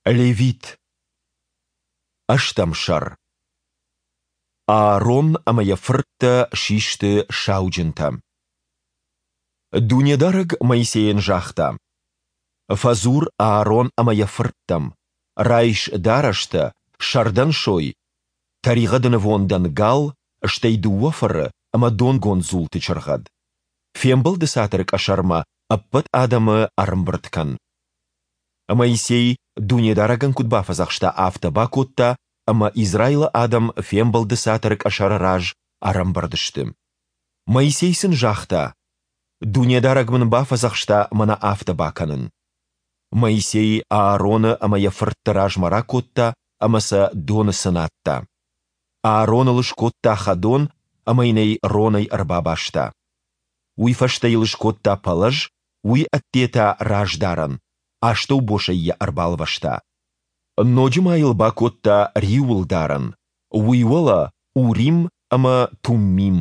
Левит. Ӕстӕм сӕр. Аарон ӕмӕ йӕ фырттӕ систы сауджынтӕ. Дунедарӕг Моисейӕн загъта: «Фӕдзур Аарон ӕмӕ йӕ фырттӕм, райс дарӕстӕ, сӕрдӕн сой, тӕригъӕды нывондӕн гал, стӕй дыууӕ фыры ӕмӕ донгонд дзулты чыргъӕд. Фембӕлды цатыры къӕсӕрмӕ ӕппӕт адӕмы ӕрӕмбырд кӕн. Моисей Дунедарӕгӕн куыд бафӕдзӕхста, афтӕ бакодта, ӕмӕ Израилы адӕм Фембӕлды цатыры къӕсӕры раз ӕрӕмбырд сты. Моисей сын загъта: Дунедарӕг мын бафӕдзӕхста мӕнӕ афтӕ бакӕнын. Моисей Аароны ӕмӕ йӕ фыртты размӕ ракодта ӕмӕ сӕ доны цынадта. Аароныл скодта хӕдон ӕмӕ йын ӕй ронӕй ӕрбабаста. Уый фӕстӕ йыл скодта пӕлӕз, уый ӕдде та раздарӕн, астӕубосӕй йӕ ӕрбалвӕста. Ноджы ма йыл бакодта риуылдарӕн, уый уӕлӕ Урим ӕмӕ Туммим.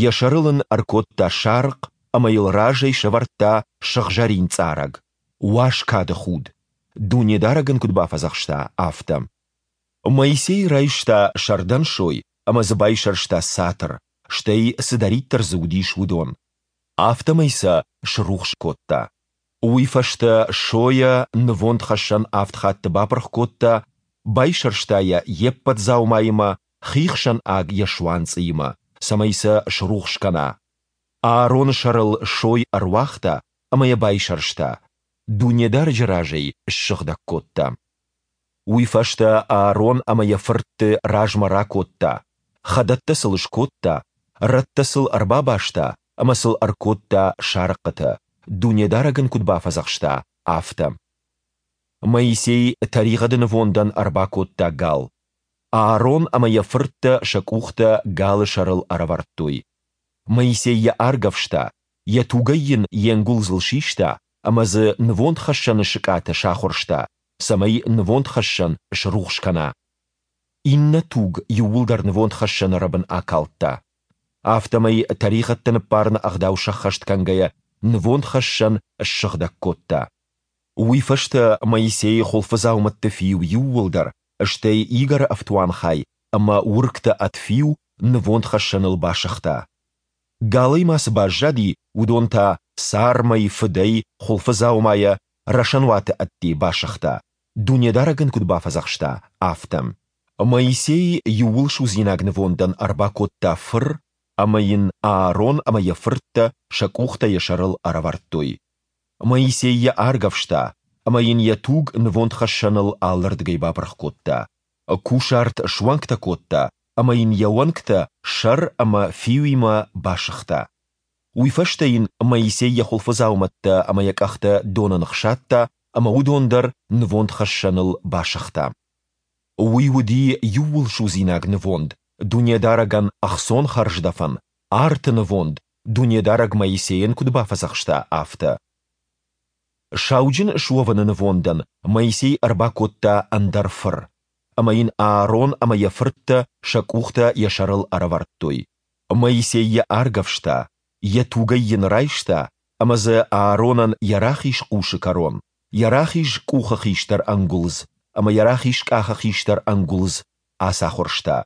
Йӕ сӕрыл ын ӕркодта сарыхъ ӕмӕ йыл разӕй сӕвӕрдта сыгъзӕрин цъарӕг, уаз кады худ, Дунедарӕг ын куыд бафӕдзӕхста, афтӕ. Моисей райста сӕрдӕн сой ӕмӕ дзы байсӕрста цатыр, стӕй цыдӕриддӕр дзы уыдис, уыдон. Афтӕмӕй сӕ срухс кодта. Уый фӕстӕ сойӕ нывондхӕссӕн авд хатты бапырх кодта, байсӕрста йӕ йе ппӕт дзаумаимӕ, хихсӕн аг йӕ суанцъыимӕ, цӕмӕй сӕ срухс кӕна. Аароны сӕрыл сой ӕруагъта ӕмӕ йӕ байсӕрста, Дунедарӕджы разӕй ссыгъдӕг кодта. Уый фӕстӕ Аарон ӕмӕ йӕ фыртты размӕ ракодта, хӕдӕттӕ сыл скодта, рӕттӕ сыл ӕрбабаста ӕмӕ сыл ӕркодта сарыхъхъытӕ, Дунедарӕг ын куыд бафӕдзӕхста, афтӕ. Моисей тӕригъӕды нывондӕн ӕрбакодта гал. Аарон ӕмӕ йӕ фырттӕ сӕ къухтӕ галы сӕрыл ӕрӕвӕрдтой. Моисей йӕ аргӕвста, йӕ тугӕй йын йе нгуылдзыл систа ӕмӕ дзы нывондхӕссӕны сыкъатӕ сахуырста, цӕмӕй нывондхӕссӕн срухс кӕна. Иннӕ туг иууылдӕр нывондхӕссӕны рӕбын акалдта. Афтӕмӕй тӕригъӕдтӕ ныббарыны ӕгъдау сӕххӕст кӕнгӕйӕ нывондхӕссӕн ссыгъдӕг кодта. Уый фӕстӕ Моисей хуылфыдзаумӕтты фиу иууылдӕр, стӕй игӕры ӕфтуанхай ӕмӕ уыргтӕ ӕд фиу нывондхӕссӕныл басыгъта. Галӕй ма цы баззади, уыдон та цармӕй, фыдӕй, хуылфыдзаумайӕ рӕсӕнуаты ӕдде басыгъта, Дунедарӕг ын куыд бафӕдзӕхста, афтӕ. Моисей иууылсудзинаг нывондӕн ӕрбакодта фыр, ӕмӕ йын Аарон ӕмӕ йӕ фырттӕ сӕ къухтӕ йӕ сӕрыл ӕрӕвӕрдтой. Моисей йӕ аргӕвста ӕмӕ йын йӕ туг нывондхӕссӕныл алырдыгӕй бапырх кодта. Кусарт суӕнгтӕ кодта ӕмӕ йын йӕ уӕнгтӕ сӕр ӕмӕ фиуимӕ басыгъта. Уый фӕстӕ йын Моисей йӕ хуылфыдзаумӕттӕ ӕмӕ йӕ къӕхтӕ доны ныхсадта ӕмӕ уыдон дӕр нывондхӕссӕныл басыгъта. Уый уыди иууылсудзинаг нывонд, Дунедарӕгӕн ӕхцон хӕрздӕфӕн, арты нывонд, Дунедарӕг Моисейӕн куыд бафӕдзӕхста, афтӕ. Сауджын суӕвыны нывондӕн Моисей ӕрбакодта ӕндӕр фыр, ӕмӕ йын Аарон ӕмӕ йӕ фырттӕ сӕ къухтӕ йӕ сӕрыл ӕрӕвӕрдтой. Моисей йӕ аргӕвста, йӕ тугӕй йын райста ӕмӕ дзы Ааронӕн йӕ рахиз хъусы кӕрон, йӕ рахиз къухы хистӕр ӕнгуылдз ӕмӕ йӕ рахиз къахы хистӕр ӕнгуылдз ацахуырста.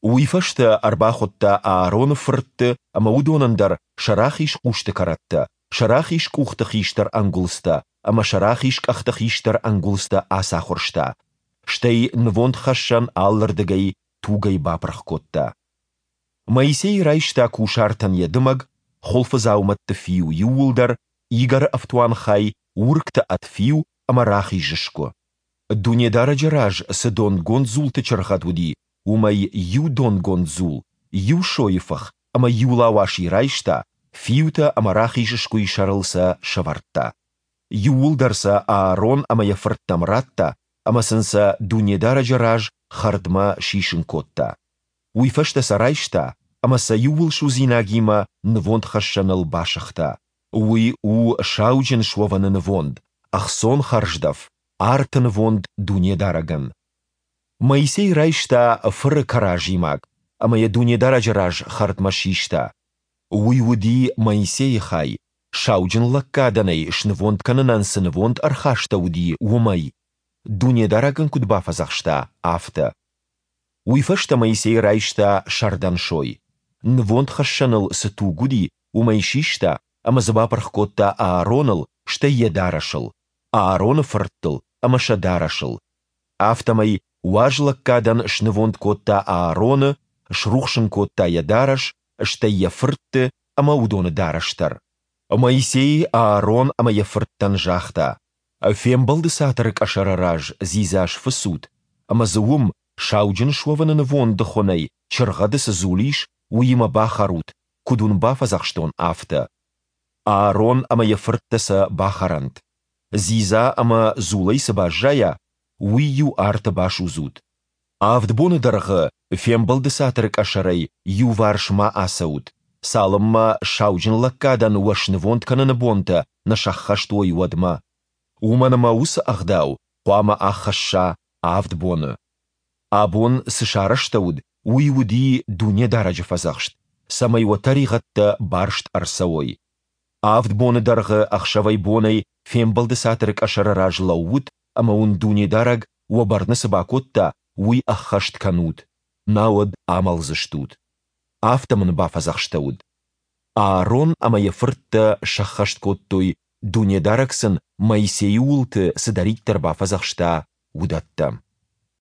Уый фӕстӕ ӕрбахуыдта Аароны фыртты ӕмӕ уыдонӕн дӕр сӕ рахиз хъусты кӕрӕттӕ, сӕ рахиз къухты хистӕр ӕнгуылдзтӕ ӕмӕ сӕ рахиз къӕхты хистӕр ӕнгуылдзтӕ ацахуырста, стӕй нывондхӕссӕн алырдыгӕй тугӕй бапырх кодта. Моисей райста кусартӕн йӕ дымӕг, хуылфыдзаумӕтты фиу иууылдӕр, игӕры ӕфтуанхай, уыргтӕ ӕд фиу ӕмӕ рахиз сгуы. Дунедарӕджы раз цы донгонд дзулты чыргъӕд уыди, уымӕй иу донгонд дзул, иу сойыфых ӕмӕ иу лауаси райста, фиутӕ ӕмӕ рахиз сгуыйы сӕрыл сӕ сӕвӕрдта. Иууылдӕр сӕ Аарон ӕмӕ йӕ фырттӕм радта ӕмӕ сын сӕ Дунедарӕджы раз хӕрдмӕ сисын кодта. Уый фӕстӕ сӕ райста ӕмӕ сӕ иууылсудзинагимӕ нывондхӕссӕныл басыгъта. Уый у сауджын суӕвыны нывонд, ӕхцон хӕрздӕф, арты нывонд Дунедарӕгӕн. Моисей райста фыры кӕразимаг ӕмӕ йӕ Дунедарӕджы раз хӕрдмӕ систа. Уый уыди Моисейы хай, сауджын лӕггадӕн ӕй снывонд кӕнынӕн цы нывонд ӕрхастӕуыди, уымӕй. Дунедарӕг ын куыд бафӕдзӕхста, афтӕ. Уый фӕстӕ Моисей райста сӕрдӕн сой, нывондхӕссӕныл цы туг уыди, уымӕй систа ӕмӕ дзы бапырх кодта Аароныл, стӕй йӕ дарӕсыл, Аароны фырттыл ӕмӕ сӕ дарӕсыл. Афтӕмӕй уаз лӕггадӕн снывонд кодта Аароны, срухс ын кодта йӕ дарӕс, стӕй йӕ фыртты ӕмӕ уыдоны дарӕс дӕр. Моисей Аарон ӕмӕ йӕ фырттӕн загъта, Фембӕлды цатыры къӕсӕры раз дзидза сфыцут, ӕмӕ дзы уым, сауджын суӕвыны нывонды хуынӕй чыргъӕды цы дзул ис, уыимӕ бахӕрут, куыд уын бафӕдзӕхстон, афтӕ. Аарон ӕмӕ йӕ фырттӕ сӕ бахӕрӕнт. Дзидза ӕмӕ дзулӕй цы баззайа, уый-иу арты басудзут. Авд боны дӕргъы Фембӕлды цатыры къӕсӕрӕй иуварс ма ацӕут, цалынмӕ сауджынлӕггадӕн уӕ снывонд кӕныны бонтӕ нӕ сӕххӕст уой, уӕдмӕ. Уымӕн ӕмӕ уыцы ӕгъдау хъуамӕ аххӕсса авд боны. Абон цы сарӕзтӕуыд, уый уыди Дунедарӕджы фӕдзӕхст, цӕмӕй уӕ тӕригъӕдтӕ барст ӕрцӕуой. Авд боны дӕргъы ӕхсӕвӕй-бонӕй Фембӕлды Цатыры къӕсӕры раз лӕуут ӕмӕ уын Дунедарӕг уӕ бӕрны цы бакодта, уый ӕххӕст кӕнут, науӕд амӕлдзыстут. Афтӕ мын бафӕдзӕхстӕуыд. Аарон ӕмӕ йӕ фырттӕ сӕххӕст кодтой, Дунедарӕг сын Моисейы уылты цыдӕриддӕр бафӕдзӕхста, уыдӕттӕ.